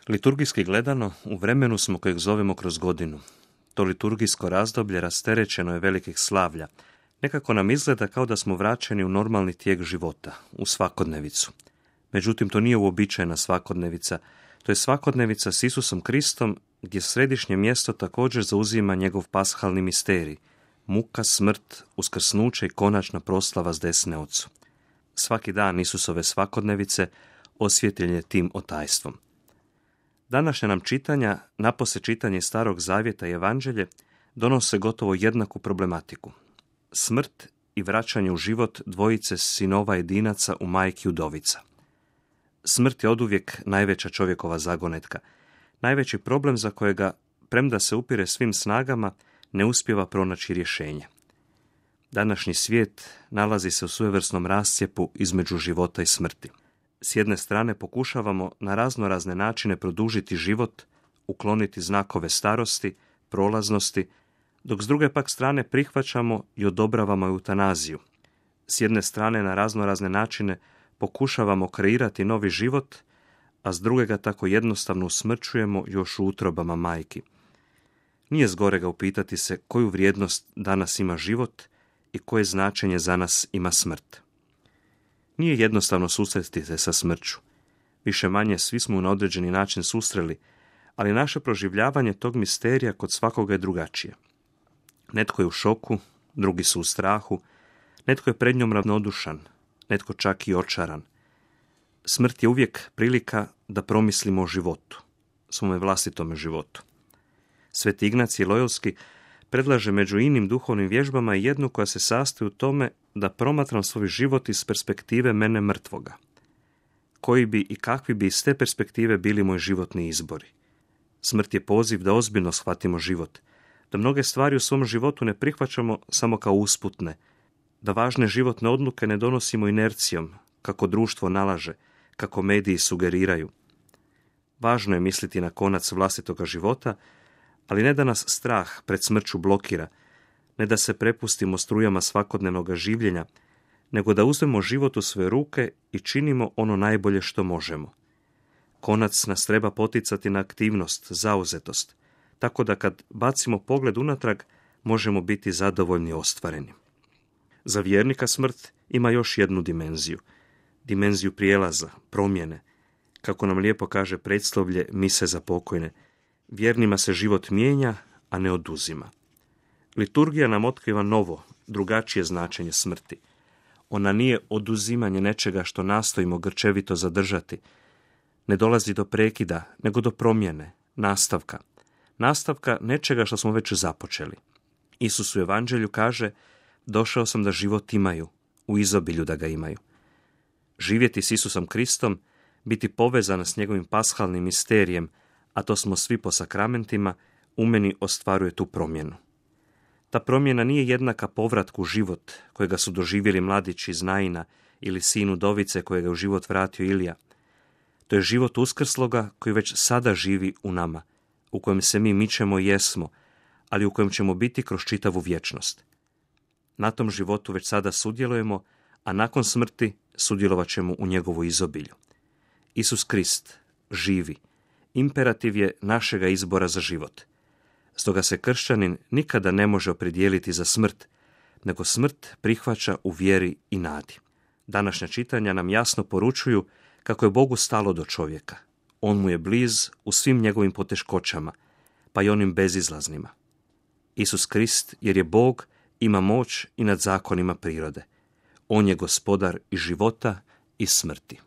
Liturgijski gledano, u vremenu smo kojeg zovemo kroz godinu. To liturgijsko razdoblje rasterećeno je velikih slavlja. Nekako nam izgleda kao da smo vraćeni u normalni tijek života, u svakodnevicu. Međutim, to nije uobičajena svakodnevica. To je svakodnevica s Isusom Kristom, gdje središnje mjesto također zauzima njegov pashalni misterij, muka, smrt, uskrsnuće i konačna proslava s desne Ocu. Svaki dan Isusove svakodnevice osvjetljen je tim otajstvom. Današnja nam čitanja, napose čitanje Starog zavjeta i Evanđelje, donose gotovo jednaku problematiku. Smrt i vraćanje u život dvojice sinova jedinaca u majki udovica. Smrt je oduvijek najveća čovjekova zagonetka, najveći problem za kojega, premda se upire svim snagama, ne uspijeva pronaći rješenje. Današnji svijet nalazi se u svojevrsnom rascjepu između života i smrti. S jedne strane pokušavamo na raznorazne načine produžiti život, ukloniti znakove starosti, prolaznosti, dok s druge pak strane prihvaćamo i odobravamo eutanaziju. S jedne strane na raznorazne načine pokušavamo kreirati novi život, a s druge ga tako jednostavno usmrćujemo još u utrobama majki. Nije zgorega upitati se koju vrijednost danas ima život i koje značenje za nas ima smrt. Nije jednostavno susresti se sa smrću. Više manje svi smo na određeni način susreli, ali naše proživljavanje tog misterija kod svakoga je drugačije. Netko je u šoku, drugi su u strahu, netko je pred njom ravnodušan, netko čak i očaran. Smrt je uvijek prilika da promislimo o životu, svome vlastitome životu. Sveti Ignacij Lojolski predlaže među inim duhovnim vježbama jednu koja se sastoji u tome da promatram svoj život iz perspektive mene mrtvoga. Koji bi i kakvi bi iz te perspektive bili moji životni izbori? Smrt je poziv da ozbiljno shvatimo život, da mnoge stvari u svom životu ne prihvaćamo samo kao usputne, da važne životne odluke ne donosimo inercijom, kako društvo nalaže, kako mediji sugeriraju. Važno je misliti na konac vlastitoga života, ali ne da nas strah pred smrću blokira, ne da se prepustimo strujama svakodnevnog življenja, nego da uzmemo život u svoje ruke i činimo ono najbolje što možemo. Konac nas treba poticati na aktivnost, zauzetost, tako da kad bacimo pogled unatrag, možemo biti zadovoljni i ostvareni. Za vjernika smrt ima još jednu dimenziju prijelaza, promjene. Kako nam lijepo kaže predslovlje mise za pokojne, vjernima se život mijenja, a ne oduzima. Liturgija nam otkriva novo, drugačije značenje smrti. Ona nije oduzimanje nečega što nastojimo grčevito zadržati. Ne dolazi do prekida, nego do promjene, nastavka. Nastavka nečega što smo već započeli. Isus u Evanđelju kaže: došao sam da život imaju, u izobilju da ga imaju. Živjeti s Isusom Kristom, biti povezan s njegovim pashalnim misterijem, a to smo svi po sakramentima, u meni ostvaruje tu promjenu. Ta promjena nije jednaka povratku u život kojega su doživjeli mladić iz Naina ili sin udovice kojega u život vratio Ilija. To je život uskrsloga koji već sada živi u nama, u kojem se mi mičemo i jesmo, ali u kojem ćemo biti kroz čitavu vječnost. Na tom životu već sada sudjelujemo, a nakon smrti sudjelovat ćemo u njegovu izobilju. Isus Krist živi. Imperativ je našega izbora za život. Stoga se kršćanin nikada ne može opredijeliti za smrt, nego smrt prihvaća u vjeri i nadi. Današnja čitanja nam jasno poručuju kako je Bogu stalo do čovjeka. On mu je bliz u svim njegovim poteškoćama, pa i onim bezizlaznima. Isus Krist, jer je Bog, ima moć i nad zakonima prirode. On je gospodar i života i smrti.